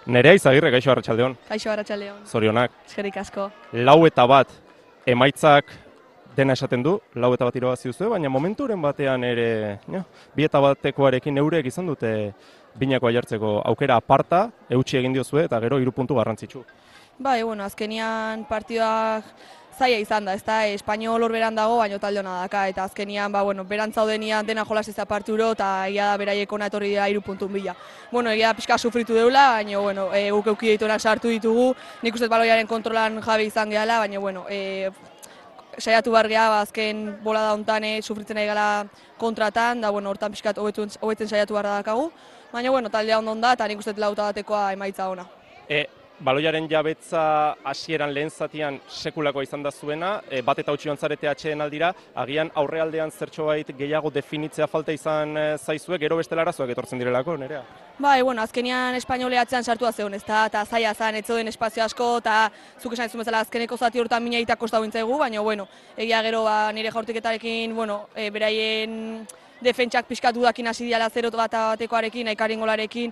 Nerea Izagirre, kaixo arratsaldeon. Kaixo arratsaldeon. Zorionak. Eskerrik asko. 4-1 emaitzak dena esaten du, 4-1 irabazi duzue, baina momenturen batean ere, 2-1-koarekin eurek izan dute binakoa jartzeko aukera aparta, eutsi egin diozue eta gero 3 puntu garrantzitsu. Bai, azkenian partidak zaila izan da, ezta? Espainol hor beran dago, baina talde hona daka, eta azkenian, beran zaudenian dena jolas ez parturo, eta egia da beraiek ona etorri dira 3 puntun bila. Egia da pixka sufritu deula, baina, guk euki dituenak sartu ditugu, nik uste baloiaren kontrolan jabe izan gehala, baina, saiatu behar geha, azken bolada hontan sufritzen nahi gala kontratan, da, hortan pixkat hobetzen saiatu behar dakagu, baina, taldea ondo da, eta nik uste 4-1 emaitza ona. Baloiaren jabetza hasieran lehen zatian sekulakoa izan da zuena, bat eta utzi zarete atxeen aldira, agian aurrealdean zertxobait gehiago definitzea falta izan zaizue, gero bestela arazoak etortzen direlako, Nerea? Bai, azkenian espainoleatzean sartua zegoen, ezta, eta zaila zen, ez zeuden espazio asko, eta zuk esan bezala azkeneko zati horretan mina egita kosta bintzaigu, baina, egia gero nire jaurtiketarekin, beraien defentsak pixkat dudakin hasi diala 0-1-arekin, aikarin golarekin,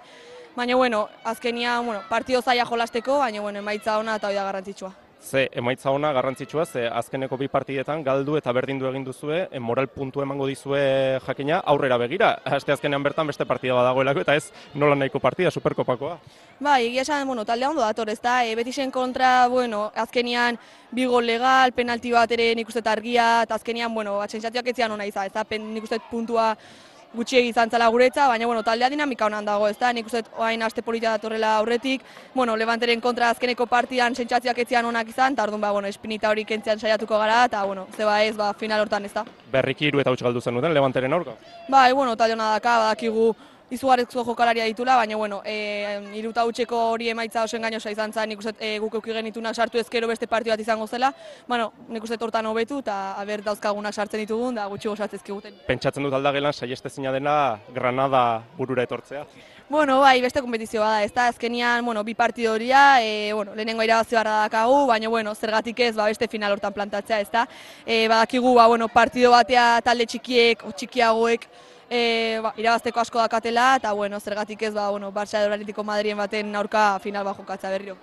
baina, azkenian, partido zaila jolasteko, baina, emaitza ona eta hori da garrantzitsua. Ze, emaitza ona garrantzitsua, ze azkeneko 2 partidetan galdu eta berdindu egin duzue, moral puntu emango dizue jakina aurrera begira. Aste azkenean bertan beste partida badagoelako eta ez nola nahiko partida, Superkopakoa. Bai, egia esan, taldea ondo dator, ez da, Betisen kontra, azkenian 2 gol legal, penalti bat ere nik uste argia, eta azkenian, sentsazioak ez zian ona izan, ez da, nik uste puntua gutxiegi izan zala guretza, baina taldea dinamika honan dago, ez da, nik uste orain aste politia datorrela aurretik, Levanteren kontra azkeneko partidan sentsazioak ez zian onak izan, eta orduan, espinita hori kentzean saiatuko gara, eta zeba ez, final hortan ez da. Berriki 3 eta huts galdu zenuten Levanteren aurka? Bai, talde hona daka, badakigu izugarrizko jokalaria ditula, baina, 3 eta hutseko hori emaitza oso engainosa izan zen, nik uste guk euki genitunak sartu ezkero beste partidu bat izango zela, nik uste hortan hobetu eta aber dauzkagunak sartzen ditugun, da gutxi gozatzezkiguten. Pentsatzen dut aldagelan saiestezina dena Granada burura etortzea? Bai, beste kompetizio bada, ez da, azkenian, 2 partidu horia, lehenengo irabazi barra dakagu, baina, zergatik ez, beste final hortan plantatzea, ez da. Badakigu, partidu batea talde txikiek, txikiagoek, irabazteko asko dakatela, eta, zergatik ez, Barça edo Atletico Madriden baten aurka final jokatza berriro.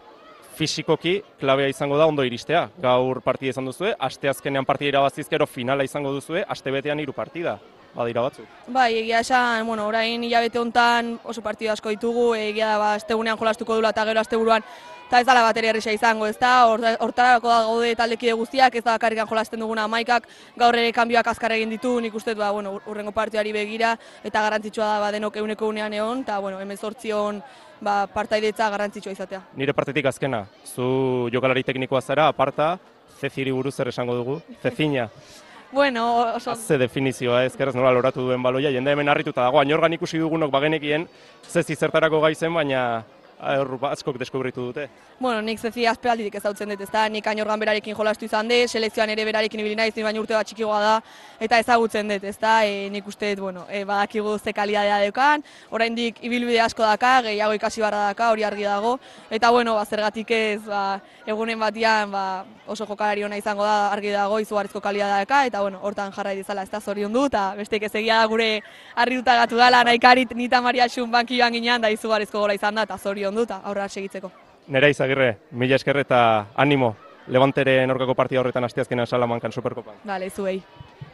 Fisikoki, klabea izango da ondo iristea. Gaur partida izan duzue, aste azkenean partida irabazizkero finala izango duzue, aste betean 3 partida. Badira batzuk. Bai, egia esan, orain hilabete hontan oso partidu asko ditugu, egia da, astegunean jolastuko dula eta gero asteburuan, eta ez dala bateri erresa izango, ez da, hortarako da gaude taldekide guztiak, ez da bakarrikan jolasten duguna amaikak, gaur ere kanbioak azkar egin ditu, nik uste, urrengo partidari begira, eta garrantzitsua da denok eguneko unean egon, eta, hemen zortzion partaidetza garrantzitsua izatea. Nire partetik azkena, zu jokalari teknikoa zara, aparta, Ceciri buruz zer esango dugu, Cecina. Oso... Ze definizioa, ezkeraz nola loratu duen baloia, jende hemen harrituta dago, anorgan ikusi dugunok bagenekien, Ceci zertarako gaizen, baina askok deskubritu dute. Nik Ceci azpealditik ezautzen dut, ezta, nik Añorgan berarekin jolastu izan dut, selekzioan ere berarekin ibili naiz, baina urte bat txikigoa da, eta ezagutzen dut, ezta, nik uste dut, badakigu ze kalidadea deukan, oraindik ibilbide asko daka, gehiago ikasi barra daka, hori argi dago, eta, zergatik ez, egunen batian, oso jokalari ona izango da, argi dago, izugarrizko kalidadea daka, eta, hortan jarrai dizala, ez da, zorion du, eta besteik ez egia da gure harrituta gatu dela, nahikarit nita Maria Xun bankioan ginean, da izugarrizko gola izan da, eta zorion du, eta aurrera segitzeko. Nerea Izagirre, mila esker eta animo, Levanteren aurkako partida horretan asteazkenean Salamankan Superkopan. Bale, zuei.